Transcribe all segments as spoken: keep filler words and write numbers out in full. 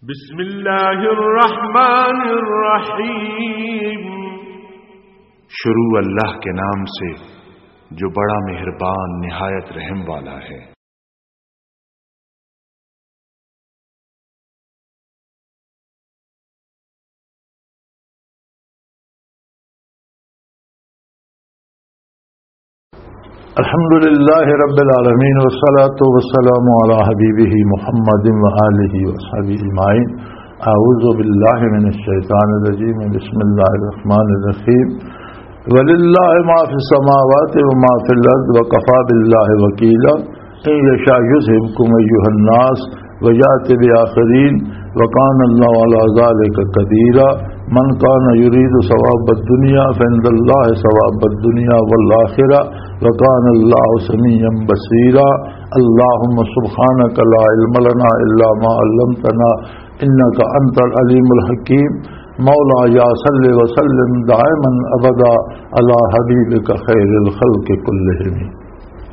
بسم اللہ الرحمن الرحیم۔ شروع اللہ کے نام سے جو بڑا مہربان، نہایت رحم والا ہے۔ الحمد لله رب العالمين، والصلاة والسلام على حبيبه محمد وآله وصحبه أجمعين. أعوذ بالله من الشيطان الرجيم. بسم الله الرحمن الرحيم. ولله ما في السماوات وما في الأرض وكفى بالله وكيلا. إن يشاء يذهبكم أيها الناس ويأت بآخرين وكان الله على ذلك قديرا. من كان يريد ثواب الدنيا فعند الله ثواب الدنيا والآخرة وكان الله سميعا بصيرا. اللهم سبحانك لا علم لنا إلا ما علمتنا إنك أنت العليم الحكيم. مولاي صل وسلم دائما أبدا على حبيبك خير الخلق كلهم.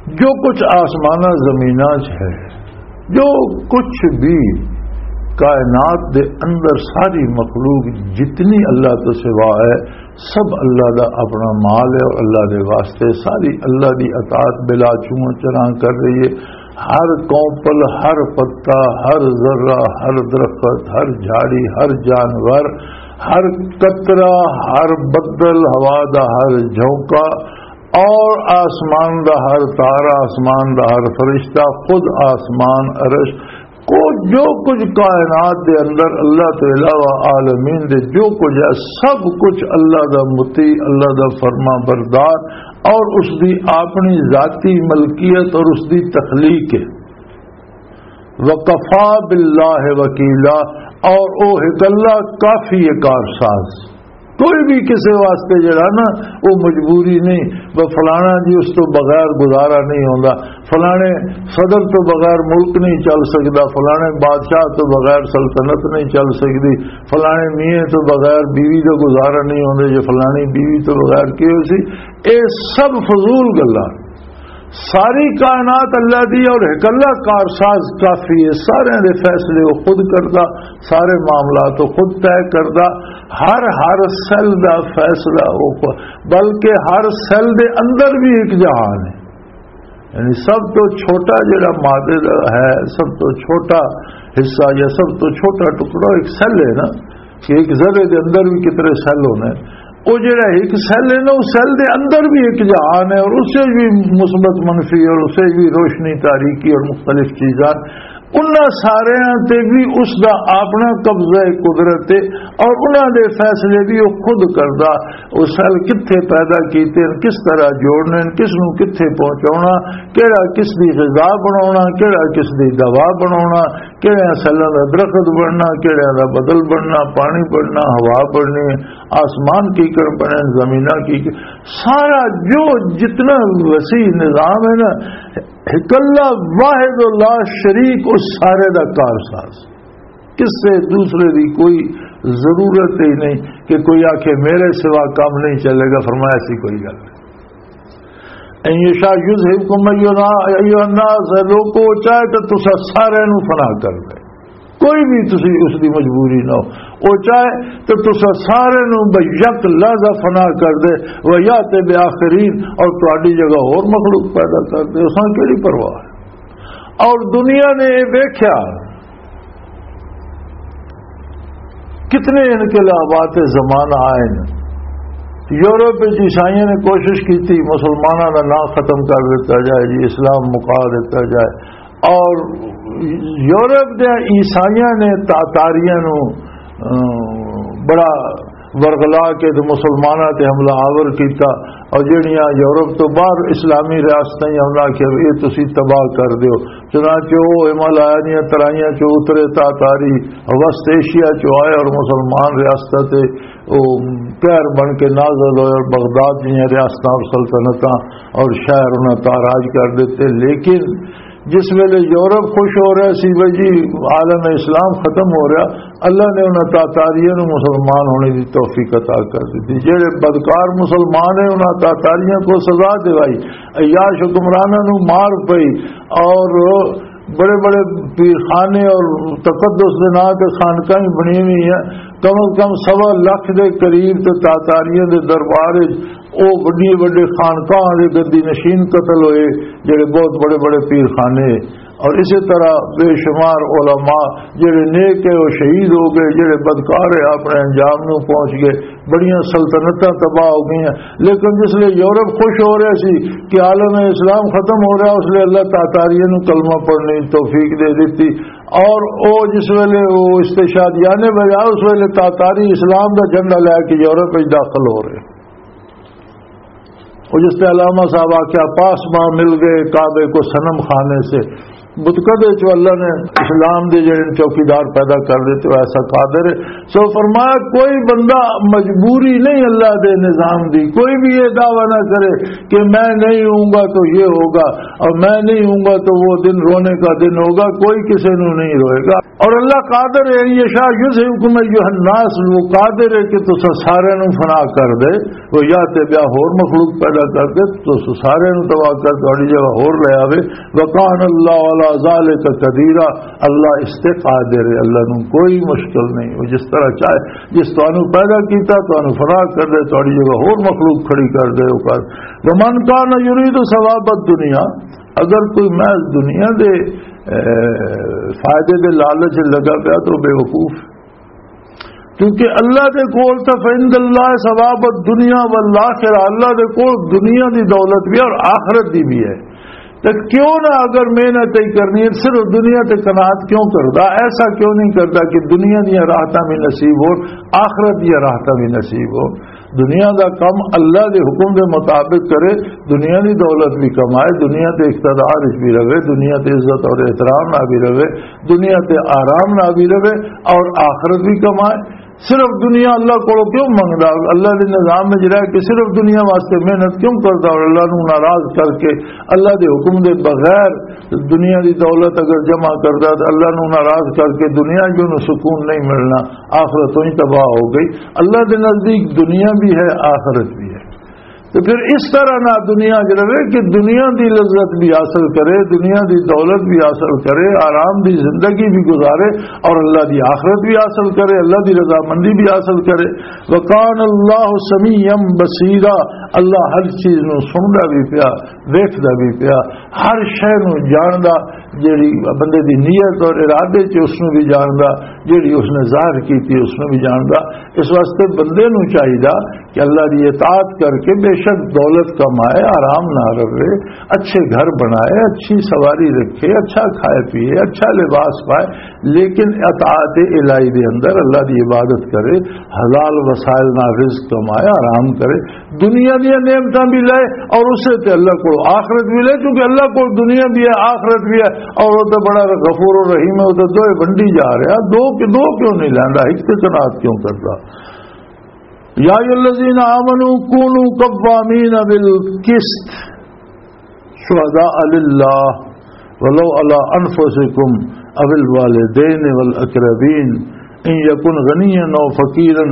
جو کچھ آسماناں زمیناں چ ہے، جو کچھ بھی کائنات دے اندر، ساری مخلوق جتنی اللہ تو سوا ہے، سب اللہ دا اپنا مال ہے اور اللہ دے واسطے ساری اللہ دی اطاعت بلا چوں چراں کر رہی ہے۔ ہر کونپل، ہر پتا، ہر ذرہ، ہر درخت، ہر جھاڑی، ہر جانور، ہر قطرہ، ہر بدل، ہوا دا ہر جھونکا، اور آسمان دا ہر تارا، آسمان دا ہر فرشتہ، خود آسمان، عرش، کو جو کچھ کائنات دے اندر اللہ تو علاوہ عالمین دے جو کچھ ہے، سب کچھ اللہ دا مطیع، اللہ دا فرما بردار اور اس دی اپنی ذاتی ملکیت اور اس دی تخلیق ہے۔ وَكَفَى بِاللَّهِ وَكِيلًا، اور او ہک اللہ کافی ہے کارساز۔ کوئی بھی کسی واسطے جڑا نا، وہ مجبوری نہیں، وہ فلانا جی اس تو بغیر گزارا نہیں ہوندا، فلانے صدر تو بغیر ملک نہیں چل سکدا، فلانے بادشاہ تو بغیر سلطنت نہیں چل سکدی، فلانے میاں تو بغیر بیوی دا گزارا نہیں ہوندا، جے فلانی بیوی تو بغیر کی ہو سی۔ اے سب فضول گلاں۔ ساری کائنات اللہ دی اور ہک اللہ کارساز کافی ہے۔ سارے دے فیصلے وہ خود کردا، سارے معاملات وہ خود طے کردا۔ ہر، ہر سیل دا فیصلہ وہ خو-، بلکہ ہر سیل دے اندر بھی ایک جہان ہے۔ یعنی سب تو چھوٹا جڑا مادے دا ہے، سب تو چھوٹا حصہ یا سب تو چھوٹا ٹکڑا ایک سیل ہے نا، کہ ایک ذرے دے اندر بھی کتنے سیل ہونے۔ او جڑا ایک سیل ہے نا، اس سیل دے اندر بھی ایک جہان ہے، اور اسے بھی مثبت، منفی، اور اسے بھی روشنی، تاریکی اور مختلف چیزاں، انہاں ساریاں تے بھی اس دا اپنا قبضہ قدرت ہے، اور انہاں دے فیصلے بھی وہ خود کردا۔ وہ سیل کتھے پیدا کیتے ہیں، کس طرح جوڑنے ہیں، کس نو کتھے پہنچاونا، کیڑا کس دی غذا بناونا، کیڑا کس دی دوا بناونا، کیڑے سیلاں دا درخت بننا، کیڑے دا بدل بننا، پانی بننا، ہوا بننی، آسمان کی کر بنے، زمیناں کی کر-، سارا جو جتنا وسیع نظام ہے نا، اکلا واحد و لا شریک اس سارے دا کارساز۔ کس سے دوسرے دی کوئی ضرورت ہی نہیں کہ کوئی آکھے میرے سوا کام نہیں چلے گا، فرمایا سی کوئی گل نہیں۔ ان یشاء یذہبکم ایھا الناس، لوکو، چاہے تے تساں سارے نو فنا کر دے، کوئی بھی تسی اس دی مجبوری نہ ہو، او چاہے تے تساں سارے نو بے یک لحظہ فنا کر دے، و یات بآخرین، اور تہاڈی جگہ ہور مخلوق پیدا کر دے، اساں کیڑی پرواہ ہے؟ اور دنیا نے یہ ویکھیا، کتنے انقلابات زمانہ آئے نے۔ یورپ وچ عیسائیاں نے کوشش کی تھی مسلمانوں کا نام ختم کر دیتا جائے جی، اسلام مکا دیتا جائے، اور یورپ دے عیسائیاں نے تاتاریاں نو، اہ، بڑا ورغلا کے تے مسلماناں تے حملہ آور کیتا، اور جڑیاں یورپ تو باہر اسلامی ریاستاں ہی انہاں آکھیا، "اے تسی تباہ کر دیو۔" چنانچہ او ہمالیہ دیاں ترائیاں چوں اترے، تاتاری وسط ایشیا چوں آئے اور مسلمان ریاستاں تے او قہر بن کے نازل ہوئے اور بغداد جیاں ریاستاں اور سلطنتاں اور شہر انہاں تاراج کر دیتے۔ لیکن جس ویلے یورپ خوش ہو رہا سی، بھائی جی، عالم اسلام ختم ہو رہا، اللہ نے انہاں تاتاریاں نوں مسلمان ہونے دی توفیق عطا کر دتی۔ جڑے بدکار مسلمان ہیں، انہاں تاتاریاں کو سزا دوائی، عیاش حکمراناں نوں مار پئی، اور بڑے بڑے پیرخانے اور تقدس دے نام تے خانقاہیں بنی ہوئی ہیں۔ کم از کم سوا لکھ دے قریب تے تاتاریاں دے دربار وچ او وڈی وڈے خانقاہ دے گدی نشین قتل ہوئے، جڑے بہت بڑے بڑے پیرخانے۔ اور اسی طرح بے شمار علماء جڑے نیک ہے وہ شہید ہو گئے، جڑے بدکار ہے اپنے انجام نو پہنچ گئے۔ بڑیاں سلطنتاں تباہ ہو گئیاں۔ لیکن جس لئے یورپ خوش ہو رہا سی کہ عالم اسلام ختم ہو رہا، اس لئے اللہ تاتاریاں نو کلمہ پڑھنے دی توفیق دے دتی۔ اور او جس ویلے وہ استشہادیان بجا، اس ویلے تاتاری اسلام دا جھنڈا لے کے یورپ وچ داخل ہو رہے۔ وہ جس تے علامہ صاحب آکھیا، پاسبان مل گئے کعبے کو صنم خانے سے۔ بتکدے چ اللہ نے اسلام دے جڑے چوکیدار پیدا کر دیتے، وہ ایسا قادر ہے۔ سو فرمایا، کوئی بندہ مجبوری نہیں اللہ دے نظام دی، کوئی بھی یہ دعویٰ نہ کرے کہ میں نہیں ہوں گا تو یہ ہوگا اور میں نہیں ہوں گا تو وہ دن رونے کا دن ہوگا، کوئی کسی نو نہیں روئے گا۔ اور اللہ قادر ہے، یہ شاہ یذہبکم ایھا الناس، وہ قادر ہے کہ تساں سارے نو فنا کر دے، وہ یا تے بیا ہور مخلوق پیدا کر دے، تو سارے نو تباہ کر تہاڈی جگہ ہور لے آوے۔ وکان اللہ علی ذالک قدیرا، اللہ اس تے قادر ہے، اللہ نو کوئی مشکل نہیں، وہ جس طرح چاہے، جس تانوں پیدا کیتا تانوں فنا کر دے، تہاڈی جگہ ہور مخلوق کھڑی کر دے۔ وہ کر، ومن کان یرید ثواب الدنیا، اگر کوئی محض دنیا دے اے، فائدے دے لالچ لگا پیا تو بے وقوف، کیونکہ اللہ دے کول تاں فعند اللہ ثواب الدنیا والآخرہ، اللہ دے کول دنیا دی دولت بھی اور آخرت دی بھی ہے۔ تے کیوں نہ اگر محنت ہی کرنی ہے، صرف دنیا تے قناعت کیوں کردا؟ ایسا کیوں نہیں کردا کہ دنیا دیاں راحتاں بھی نصیب ہون، آخرت دیاں راحتاں بھی نصیب ہون؟ دنیا دا کم اللہ دے حکم دے مطابق کرے، دنیا دی دولت بھی کمائے، دنیا تے اقتدار وچ بھی رہے، دنیا تے عزت اور احترام نہ بھی رہے، دنیا تے آرام نہ بھی رہے، اور آخرت بھی کمائے۔ صرف دنیا اللہ کولوں کیوں منگدا؟ اللہ دے نظام وچ رہ کے صرف دنیا واسطے محنت کیوں کردا اور اللہ نوں ناراض کر کے، اللہ دے حکم دے بغیر دنیا دی دولت اگر جمع کردا تو اللہ نوں ناراض کر کے دنیا جو نوں سکون نہیں ملنا، آخرت وہی تباہ ہو گئی۔ اللہ دے نزدیک دنیا بھی ہے، آخرت بھی ہے۔ تو پھر اس طرح نہ دنیا چ رہے کہ دنیا دی لذت بھی حاصل کرے، دنیا دی دولت بھی حاصل کرے، آرام دی زندگی بھی گزارے اور اللہ دی آخرت بھی حاصل کرے، اللہ دی رضامندی بھی حاصل کرے۔ وکان اللہ سمیعا بصیرا، اللہ ہر چیز نو سندا بھی پیا، ویکھدا بھی پیا، ہر شے نو جاندا، جیڑی بندے دی نیت اور ارادے چ اس نو بھی جاندا، جیڑی اس نے ظاہر کیتی اس نو بھی جاندا۔ اس واسطے بندے نو چاہیدا کہ اللہ دی اطاعت کر کے بے شک دولت کمائے، آرام نہ رہے، اچھے گھر بنائے، اچھی سواری رکھے، اچھا کھائے پیے، اچھا لباس پائے، لیکن اطاعت الہی دے اندر اللہ دی عبادت کرے، حلال وسائل نال رزق کمائے، آرام کرے، دنیا دیاں نعمتاں بھی لے اور اسے تے اللہ کو آخرت بھی لے، کیونکہ اللہ کو دنیا بھی ہے، آخرت بھی ہے، اور وہ تو بڑا غفور و رحیم ہے، وہ تو دوئے ونڈی جا رہا، دو کہ دو کیوں نہیں لیندا، ایک تے قناعت کیوں کردا؟ یا ایھا الذین آمنوا کونوا قوامین بالقسط شہداء للہ ولو علی انفسکم او الوالدین والاقربین ان یکن غنیا او فقیرا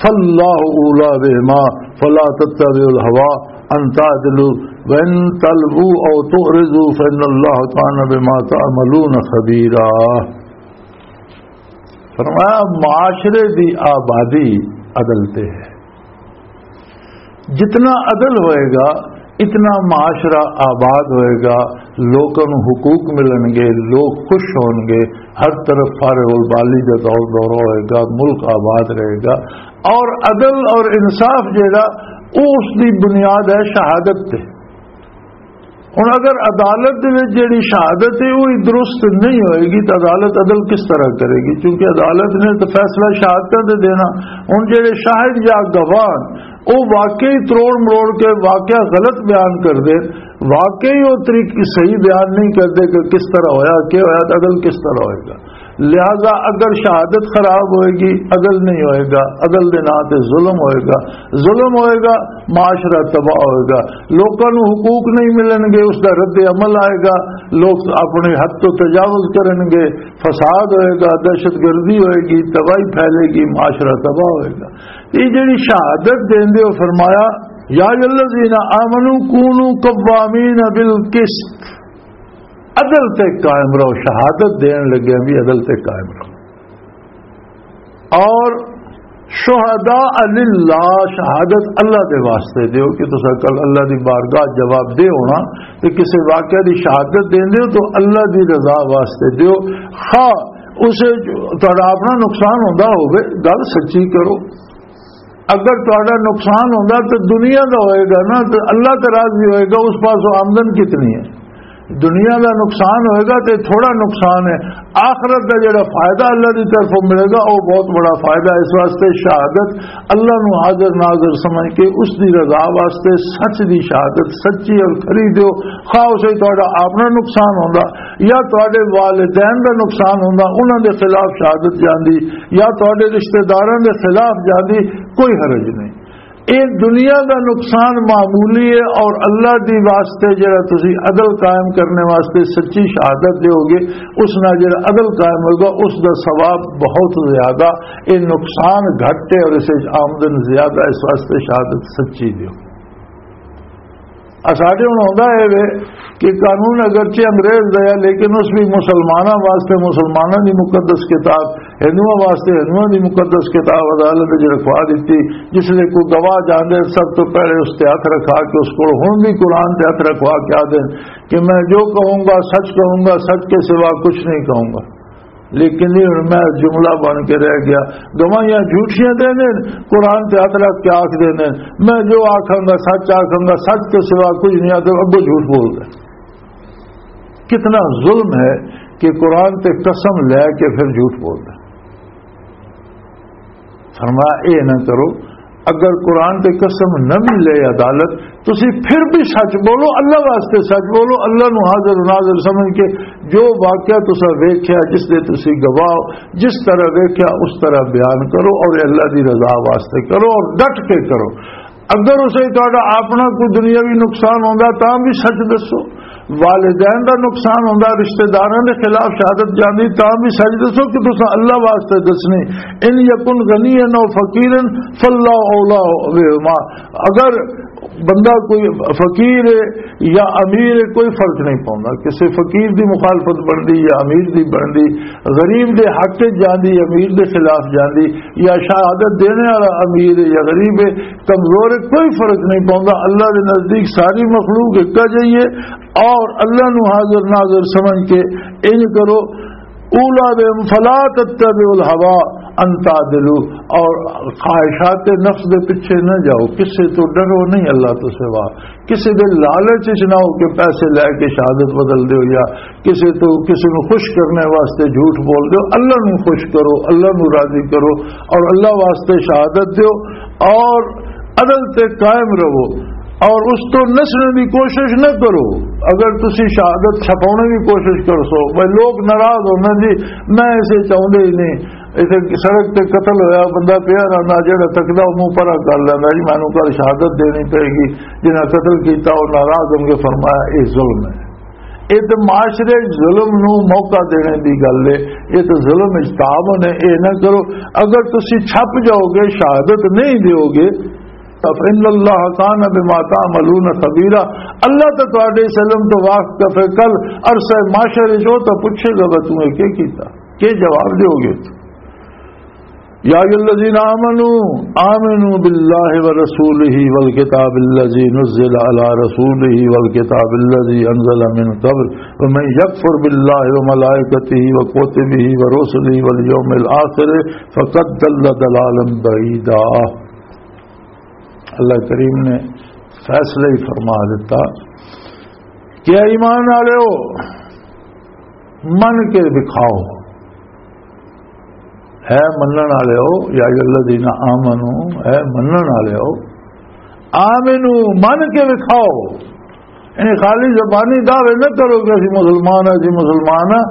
فاللہ اولی بہما فلا تتبعوا الہوی ان تعدلوا وان تلووا او تعرضوا فان اللہ کان بما تعملون خبیرا۔ فرمایا، معاشرے دی آبادی عدل تے ہے۔ جتنا عدل ہوئے گا، اتنا معاشرہ آباد ہوئے گا، لوکاں نوں حقوق ملن گے، لوگ خوش ہون گے، ہر طرف فارغ البالی دا دور دورہ ہوئے گا، ملک آباد رہے گا۔ اور عدل اور انصاف جیڑا، او اس دی بنیاد ہے شہادت تے۔ ہن اگر عدالت دے وچ جیڑی شہادت ہے، وہی درست نہیں ہوئے گی، تو عدالت عدل کس طرح کرے گی؟ کیونکہ عدالت نے تو فیصلہ شہادتاں دے دینا۔ ہن جیڑے شاہد یا گواہ، او واقعی تروڑ مروڑ کے واقعہ غلط بیان کر دے، واقعی وہ طریقے صحیح بیان نہیں کر دے کہ کس طرح ہویا، کیا ہویا، تو عدل کس طرح ہوئے گا؟ لہذا اگر شہادت خراب ہوئے گی، عدل نہیں ہوئے گا، عدل دے نام تے ظلم ہوئے گا، ظلم ہوئے گا، معاشرہ تباہ ہوئے گا، لوکاں نوں حقوق نہیں ملن گے، اس دا رد عمل آئے گا، لوگ اپنے حد تو تجاوز کرن گے، فساد ہوئے گا، دہشت گردی ہوئے گی، تباہی پھیلے گی، معاشرہ تباہ ہوئے گا۔ یہ جڑی شہادت دیندے ہو، فرمایا، یا ایھا الذین آمنوا کونوا قوامین بالقسط، عدل تے قائم رہو، شہادت دین لگے بھی عدل تے قائم رہو۔ اور شہداء للہ، شہادت اللہ دے واسطے دیو کہ تسا کل اللہ دی بارگاہ جواب دے ہونا، تے کسے واقعہ دی شہادت دیندے ہو تو اللہ دی رضا واسطے دیو۔ خواہ اسے جو تہاڈا اپنا نقصان ہوندا ہوے، گل سچی کرو۔ اگر تہاڈا نقصان ہوندا تے دنیا دا ہوئے گا نا، تے اللہ تے راضی ہوئے گا، اس پاسوں آمدن کتنی ہے؟ دنیا دا نقصان ہوئے گا تے تھوڑا نقصان ہے، آخرت دا جڑا فائدہ اللہ دی طرفوں ملے گا، وہ بہت بڑا فائدہ ہے۔ اس واسطے شہادت اللہ نو حاضر ناظر سمجھ کے اس دی رضا واسطے سچ دی شہادت سچی اور کھری دیو۔ خواہ اسے تہاڈا اپنا نقصان ہوندا یا تہاڈے والدین دا نقصان ہوندا، انہاں دے خلاف شہادت جاندی، یا تہاڈے رشتہ داراں دے خلاف جاندی، کوئی حرج نہیں۔ اے دنیا دا نقصان معمولی ہے، اور اللہ دی واسطے جڑا تسی عدل قائم کرنے واسطے سچی شہادت دیو گے، اس نال جڑا عدل قائم ہوگا، اس دا ثواب بہت زیادہ۔ اے نقصان گھٹ ہے اور اس وچ آمدن زیادہ، اس واسطے شہادت سچی دیو۔ آ ساڈے ہن ہوندا اے وے کہ قانون اگرچہ انگریز دا ہے، لیکن اس بھی مسلماناں واسطے مسلماناں دی مقدس کتاب، ہندوؤں واسطے ہندوؤں دی مقدس کتاب عدالت وچ رکھوا دتی۔ جس لے کوئی گواہ جاندے، سب تو پہلے اس تے ہاتھ رکھا کے اس کول ہن بھی قرآن تے ہاتھ رکھوا کے آدھے کہ میں جو کہوں گا، سچ کہوں گا، سچ کے سوا کچھ نہیں کہوں گا۔ لیکن یہ ہن میں جملہ بن کے رہ گیا۔ گواہیاں جھوٹیاں دے نے، قرآن تے ہاتھ رکھ کے آکھ دے نے، میں جو آکھاں گا سچ آکھاں گا، سچ کے سوا کچھ نہیں آکھاں، ابو جھوٹ بول رہے۔ کتنا ظلم ہے کہ قرآن تے قسم لے کے پھر جھوٹ بول رہے۔ فرمایا، اے نہ کرو، اگر قرآن تے قسم نہ بھی لے عدالت، تسی پھر بھی سچ بولو، اللہ واسطے سچ بولو، اللہ نو حاضر ناظر سمجھ کے جو واقعہ تسا ویکھیا، جس دے تسی گواہ ہو، جس طرح ویکھیا اس طرح بیان کرو اور اللہ دی رضا واسطے کرو اور ڈٹ کے کرو۔ اگر اسے تہاڈا اپنا کوئی دنیاوی نقصان ہوندا تاں بھی سچ دسو، والدین دا نقصان ہوندا، رشتہ داراں دے خلاف شہادت جاندی تاں بھی سچ دسو کہ تساں اللہ واسطے دسنی۔ ان یکن غنیا او فقیرا فاللہ اولا بہما۔ اگر بندہ کوئی فقیر ہے یا امیر ہے، کوئی فرق نہیں پوندا۔ کسی فقیر دی مخالفت بندی یا امیر دی بندی، غریب دے حق وچ جاندی، امیر دے خلاف جاندی، یا شہادت دینے والا امیر ہے یا غریب ہے، کمزور ہے، کوئی فرق نہیں پوندا۔ اللہ دے نزدیک ساری مخلوق ایک جائی ہے، اور اللہ نو حاضر ناظر سمجھ کے انج کرو، اولا بہم فلا تتبعوا الہوی ان تعدلوا، اور خواہشات نفس دے پیچھے نہ جاؤ، کسے تو ڈرو نہیں اللہ تو سوا، کسے دے لالچ وچ نہ ہو کہ پیسے لے کے شہادت بدل دیو یا کسے تو، کسے نو خوش کرنے واسطے جھوٹ بول دیو۔ اللہ نو خوش کرو، اللہ نو راضی کرو اور اللہ واسطے شہادت دیو اور عدل تے قائم رہو اور اس تو نسنے دی کوشش نہ کرو۔ اگر تسی شہادت چھپاؤنے دی کوشش کرسو، بھئی لوگ ناراض ہونا جی، میں اسے چاہندے ہی نہیں، اسے سڑک تے قتل ہویا، بندہ پیا رہندا، جڑا تکدا او منہ پرا کر لیندا جی، مینوں کل شہادت دینی پئے گی، جنہاں قتل کیتا او ناراض ہون گے۔ فرمایا، اے ظلم ہے۔ اے تے معاشرے وچ ظلم نو موقع دینے دی گل ہے، اے تے ظلم وچ تعاون ہے، اے نہ کرو۔ اگر تسی چھپ جاؤ گے، شہادت نہیں دیو گے، فإن اللہ کان بما تعملون خبیرا، اللہ تے تہاڈے اس علم تو واقف ہے۔ کل عرصہ محشر وچ او تے پوچھے گا، "بھئی توں اے کی کیتا؟ کی جواب دیو گے؟" یا ایھا الذین آمنوا آمنوا باللہ ورسولہ والکتاب الذی نزل علی رسولہ والکتاب الذی انزل من قبل ومن یکفر باللہ وملائکتہ وکتبہ ورسلہ والیوم الآخر فقد ضل ضلالا بعیدا۔ اللہ کریم نے فیصلہ ہی فرما دیتا کہ اے ایمان والےو، من کے دکھاؤ، اے منن والےو، یا ایھا الذین آمنو، اے منن والےو، آمنو، من کے دکھاؤ۔ یعنی خالی زبانی دعوے نہ کرو کہ اسی مسلمان ہاں، اسی مسلمان ہاں۔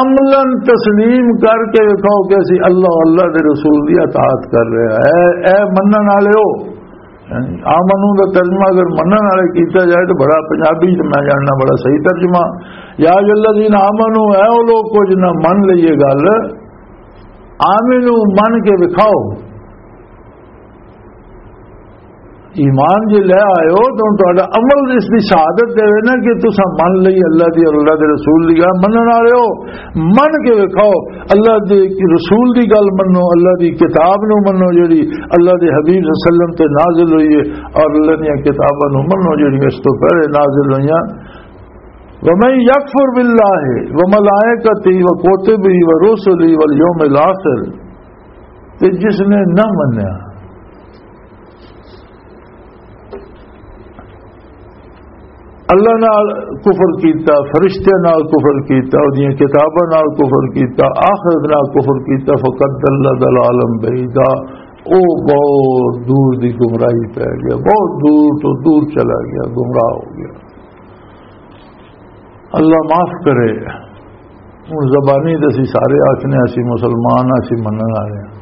عملاً تسلیم کر کے دکھاؤ کہ اسی اللہ، اللہ دے رسول دی اطاعت کر رہے ہیں۔ اے، اے منن والےو۔ یعنی آمنو دا ترجمہ اگر منن والے کیتا جائے تو بڑا پنجابی تو میں جاننا بڑا صحیح ترجمہ۔ یا ایھا الذین آمنو، اے او لوگ کو جنہاں من لئیے گل، آمنو من کے دکھاؤ۔ ایمان جے لے آئے ہو تو تہاڈا عمل اس دی شہادت دے نا کہ تساں من لئی اللہ دی اور اللہ دے رسول دی گل منن والے ہو۔ من کے وکھاؤ، اللہ دے رسول دی گل منو، اللہ دی کتاب نو منو جڑی اللہ دے حبیب صلی اللہ علیہ وسلم تے نازل ہوئی ہے، اور اللہ دیاں کتاباں نو منو جڑی اس تو پہلے نازل ہوئیاں۔ ومن یکفر باللہ وملائکتہ وکتبہ ورسلہ والیوم الاخر، تے جس نے نہ منیا اللہ نال کفر کیتا، فرشتیاں نال کفر کیتا، اودیاں کتاباں نال کفر کیتا، آخرت نال کفر کیتا، فقد ضل ضلالا بعیدا، او بہت دور دی گمراہی پہ گیا، بہت دور تو دور چلا گیا، گمراہ ہو گیا۔ اللہ معاف کرے۔ ہن زبانی تے اسی سارے آکھنے اسی مسلمان ہاں، اسی منن والے ہاں۔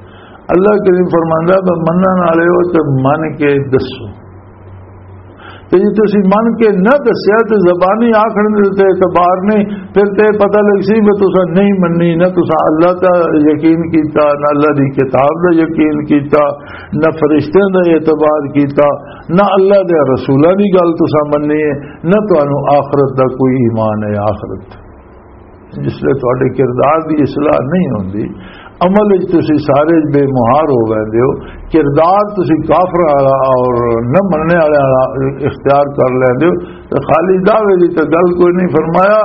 اللہ کریم فرماندا ہے، "بس منن والے ہو تے من کے دسو۔" تے جے تسی من کے نہ دسیا تے زبانی آکھن دے تے اعتبار نہیں، پھر تے پتہ لگ سی کہ تساں نہیں مننی، نہ تساں اللہ تے یقین کیتا، نہ اللہ دی کتاب دا یقین کیتا، نہ فرشتیاں دا اعتبار کیتا، نہ اللہ دے رسولاں دی گل تساں مننی ہے، نہ تانوں آخرت دا کوئی ایمان ہے۔ آخرت جس لئے تہاڈے کردار دی اصلاح نہیں ہوندی، عمل وچ تسی سارے بے مہار ہو ویندے ہو، کردار تسی کافر والا اور نہ مننے والے والا اختیار کر لیندے ہو، تے خالی دعوے دی تے گل کوئی نہیں۔ فرمایا،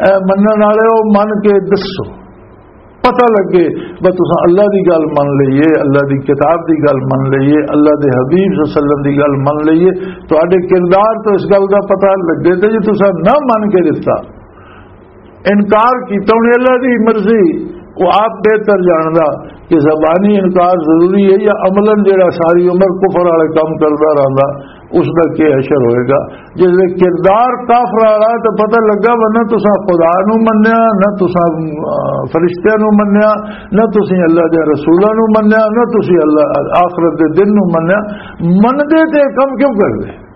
اے منن والے ہو، من کے دسو، پتہ لگے، بس تساں اللہ دی گل من لئیے، اللہ دی کتاب دی گل من لئیے، اللہ دے حبیب صلی اللہ علیہ وسلم دی گل من لئیے، تہاڈے کردار تو اس گل دا پتہ لگے۔ تے جے تساں نہ من کے دتا، انکار کیتا، ہن اللہ دی مرضی، وہ آپ بہتر جاندا کہ زبانی انکار ضروری ہے یا عملاً جڑا ساری عمر کفر والے کام کردا رہندا، اس دا کی حشر ہوئے گا؟ جس دے کردار کافر والا، تو پتہ لگا، ورنہ تساں خدا نو منیا، نہ تساں، آ، فرشتیاں نو منیا، نہ تسیں اللہ دے رسولاں نو منیا، نہ تسیں اللہ آخرت دے دن نو منیا۔ مندے تے کم کیوں کردے؟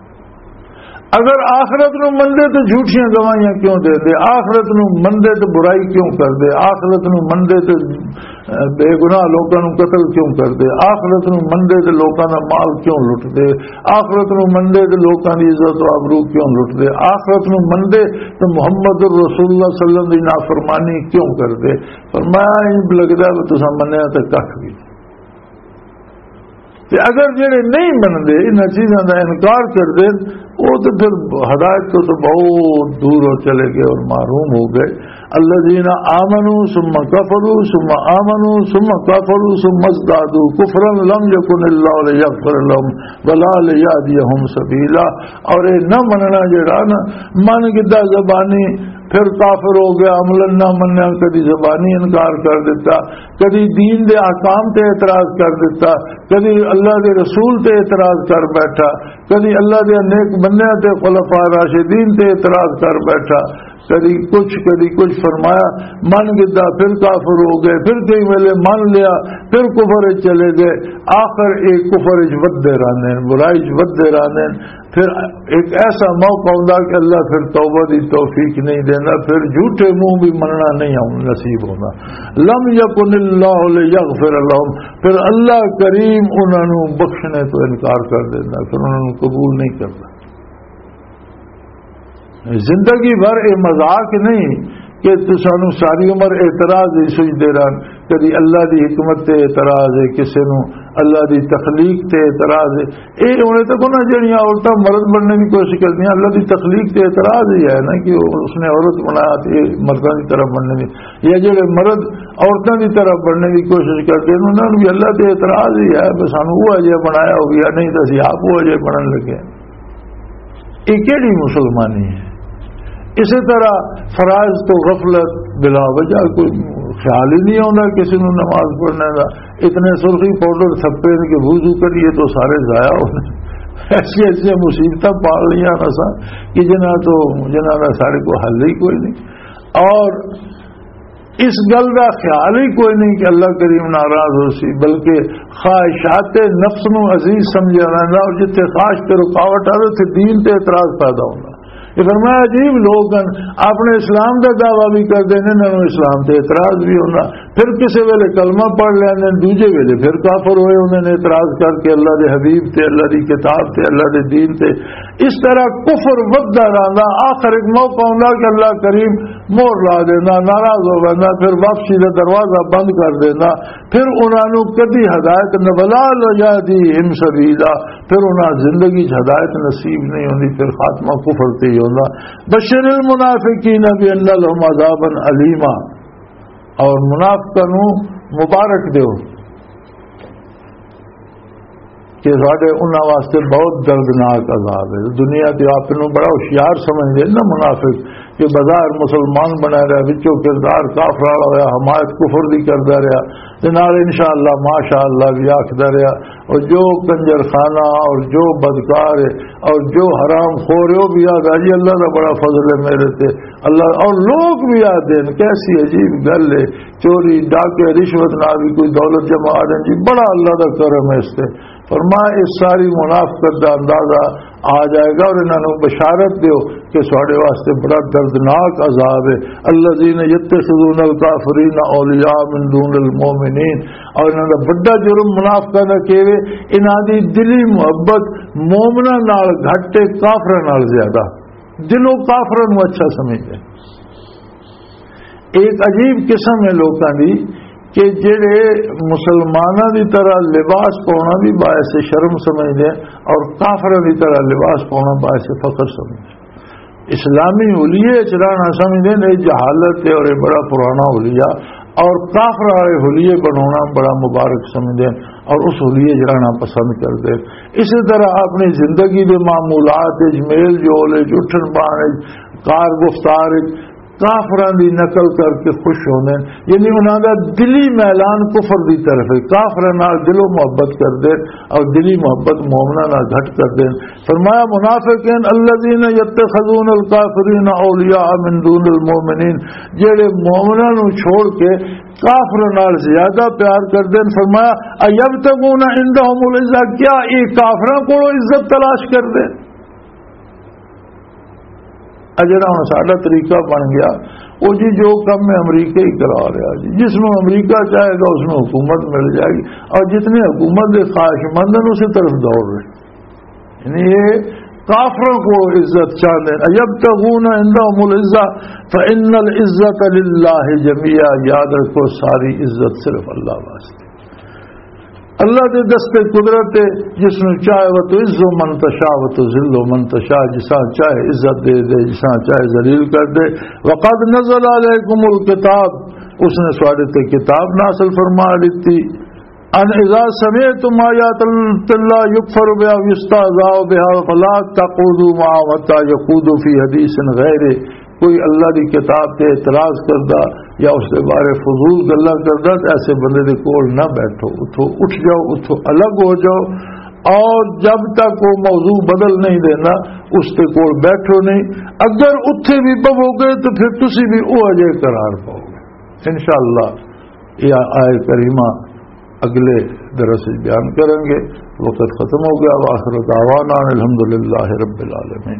اگر آخرت نو مندے تے جھوٹیاں گواہیاں کیوں دے دے؟ آخرت نو مندے تے برائی کیوں کر دے؟ آخرت نو مندے تے، اے، بے گناہ لوکاں نو قتل کیوں کر دے؟ آخرت نو مندے تے لوکاں دا مال کیوں لٹ دے؟ آخرت نو مندے تے لوکاں دی عزت و آبرو کیوں لٹ دے؟ آخرت نو مندے تے محمد رسول اللہ صلی اللہ علیہ وسلم دی نافرمانی کیوں کر دے؟ فرمایا، "انج لگدا ہے تساں منیا تے ککھ بھی۔" تے اگر جڑے نہیں منندے، انہاں چیزاں دا انکار کردے، او تے پھر ہدایت تو، تو بہت دور ہو چلے گئے اور محروم ہو گئے۔ الذين آمنوا ثم كفروا ثم آمنوا ثم كفروا ثم ازدادوا كفرا لم يكن الله ليغفر لهم ولا ليهديهم سبيلا۔ اور اے نہ مننا جڑا نا، من گدا زبانی، پھر کافر ہو گیا، عملاً نہ منیا، کدی زبانی انکار کر دیتا، کدی دین دے احکام تے اعتراض کر دیتا، کدی اللہ دے رسول تے اعتراض کر بیٹھا، کدی اللہ دے نیک بندیاں تے خلفاء راشدین تے اعتراض کر بیٹھا، کدی کچھ، کدی کچھ۔ فرمایا، من گدا، پھر کافر ہو گئے، پھر کئی ویلے من لیا، پھر کفر وچ چلے گئے۔ آخر ایک کفر وچ ودے رہنے، برائی وچ ودے رہنے۔ پھر ایک ایسا موقع ہوندا کہ اللہ پھر توبہ دی توفیق نہیں دیندا، پھر جھوٹے منہ بھی مننا نہیں ہون-، نصیب ہوندا۔ لم یکن اللہ لیغفر لهم، پھر اللہ کریم انہاں نوں بخشنے تو انکار کر دیندا، پھر انہاں نوں قبول نہیں کردا۔ زندگی بھر اے مذاق نہیں کہ تسانوں ساری عمر اعتراض ہی سجدے رہن، کدی اللہ دی حکمت تے اعتراض ہے، کسے نوں اللہ دی تخلیق تے اعتراض ہے۔ اے ہونے تک انہاں جڑیاں عورتاں مرد بننے دی کوشش کردیاں، اللہ دی تخلیق تے اعتراض ہی ہے نا کہ وہ، اس نے عورت بنایا تے اے مرداں دی طرح بننے دی، یا جڑے مرد عورتاں دی طرح بننے دی کوشش کردے نے، انہاں نوں بھی اللہ تے اعتراض ہی ہے، بس سانوں وہ اجے بنایا ہو گیا، نہیں تو اسی آپ وہ اجے بنن لگے۔ یہ کیڑی مسلمانی ہے؟ اسی طرح فرائض تو غفلت، بلا وجہ کوئی خیال ہی نہیں آتا کسی نوں نماز پڑھنے دا۔ اتنے سرخی پاؤڈر تھپے نے کہ وضو کریے تو سارے ضائع ہونے۔ ایسی ایسی مصیبتاں پال لیاں نا سا کہ جنہاں تو، جنہاں دا سارے کو حل ہی کوئی نہیں۔ اور اس گل دا خیال ہی کوئی نہیں کہ اللہ کریم ناراض ہو سی، بلکہ خواہشات نفس نو عزیز سمجھا ویندا، اور جتھے خواہش تے رکاوٹ آوے، اتھے دین تے اعتراض پیدا ہوندا۔ یہ فرمایا، عجیب لوگ ہیں، اپنے اسلام دا دعویٰ بھی کردے نے، انہاں نوں اسلام تے اعتراض بھی ہوندا۔ پھر کسے ویلے کلمہ پڑھ لیندے نے، دوجے ویلے پھر کافر ہوئے ہوندے نے، اعتراض کر کے اللہ دے حبیب تے، اللہ دی کتاب تے، اللہ دے دین تے۔ اس طرح کفر ودھدا رہندا، آخر ایک موقع ہوندا کہ اللہ کریم مہر لا دیندا، ناراض ہو ویندا، پھر واپسی دا دروازہ بند کر دیندا، پھر انہاں نوں کدی ہدایت نہ، ولا یہدیہم سبیلا، پھر انہاں زندگی چ ہدایت نصیب نہیں ہوندی، پھر خاتمہ کفر تے ہی ہوندا۔ بشر المنافقین بان لهم عذابا الیما، اور منافقاں نوں مبارک دیو کہ ساڈے انہاں واسطے بہت دردناک عذاب ہے۔ دنیا تے آپ نوں بڑا ہوشیار سمجھدے نا منافق، کہ بظاہر مسلمان بنا رہا، وچوں کردار کافر والا ہویا، حمایت کفر دی کردا رہیا، تے نال انشاءاللہ ماشاءاللہ بھی آکھدا رہیا۔ اور جو کنجر خانہ اور جو بدکار ہے اور جو حرام خور ہے، وہ بھی آکھدا جی اللہ دا بڑا فضل ہے میرے تے، اللہ، اور لوگ بھی آتے ہیں، کیسی عجیب گل ہے، چوری، ڈاکے، رشوت نہ بھی کوئی دولت جمع آ جائے جی، بڑا اللہ دا کرم ہے اس تے۔ فرمایا، اس ساری منافقت دا اندازہ آ جائے گا اور انہاں نوں بشارت دیو کہ ساڈے واسطے بڑا دردناک عذاب ہے۔ الذین یتخذون الکافرین اولیاء من دون المؤمنین، اور انہاں دا بڑا جرم منافقاں دا کیوے، انہاں دی دلی محبت مومناں نال گھٹ تے کافراں نال زیادہ، دلوں کافراں نوں اچھا سمجھدے۔ ایک عجیب قسم ہے لوکاں دی کہ جڑے مسلماناں دی طرح لباس پاؤنا بھی باعث شرم سمجھدے ہیں اور کافراں دی طرح لباس پاؤنا باعث فخر سمجھدے ہیں۔ اسلامی حلیے چ رہنا سمجھدے ہیں، یہ جہالت ہے اور یہ بڑا پرانا حلیہ، اور کافر والے حلیے بنانا بڑا مبارک سمجھدے ہیں اور اس حلیے چ رہنا پسند کردے ہیں۔ اسی طرح اپنی زندگی دے معمولات وچ، میل جول وچ، اٹھن بان وچ، کار گفتار وچ کافراں دی نقل کر کے خوش ہوندے ہیں، یعنی انہاں دا دلی میلان کفر دی طرف ہے، کافراں نال دلوں محبت کردے ہیں اور دلی محبت مومناں نال گھٹ کردے ہیں۔ فرمایا، منافقین الذین یتخذون الکافرین اولیاء من دون المؤمنین، جڑے مومناں نوں چھوڑ کے کافراں نال زیادہ پیار کردے ہیں۔ فرمایا، ایبتغون عندهم العزہ، کیا یہ کافراں کولوں عزت تلاش کردے ہیں؟ اے جڑا ہن ساڈا طریقہ بن گیا، او جی جو کم ہے امریکہ ہی کرا رہا جی، جس نوں امریکہ چاہے گا اس نوں حکومت مل جائے گی، اور جتنے حکومت دے خواہش مند ہیں اسی طرف دوڑ رہے ہیں۔ یعنی یہ کافروں کو عزت چاہتے ہیں۔ ایبتغون عندهم العزہ فان العزة للہ جمیعا، یاد رکھو ساری عزت صرف اللہ واسطے۔ اللہ دے دست قدرت ہے، جس نوں چاہے وہ تو عز من تشاء و تو ذل من تشاء، جساں چاہے عزت دے دے، جساں چاہے ذلیل کر دے۔ وقد نزل علیکم الکتاب، اس نے سواڈے تے کتاب نازل فرما دیتی۔ ان اذا سمعتم آیات اللہ یکفر بها و یستهزأ بها فلا تقعدوا معهم حتى يخوضوا في حديث غیرہ، کوئی اللہ دی کتاب تے اعتراض کردا یا اس دے بارے فضول گلاں کردا تے ایسے بندے دے کول نہ بیٹھو، اتھوں اٹھ جاؤ، اتھوں الگ ہو جاؤ۔ اور جب تک وہ موضوع بدل نہیں دینا، اس دے کول بیٹھو نہیں۔ اگر اتھے بھی بہو گے تو پھر تسی بھی وہ اجے قرار پاؤ گے۔ انشاءاللہ یہ آیت کریمہ اگلے درس وچ بیان کریں گے۔ وقت ختم ہو گیا۔ وآخر دعوانا ان الحمدللہ رب العالمین۔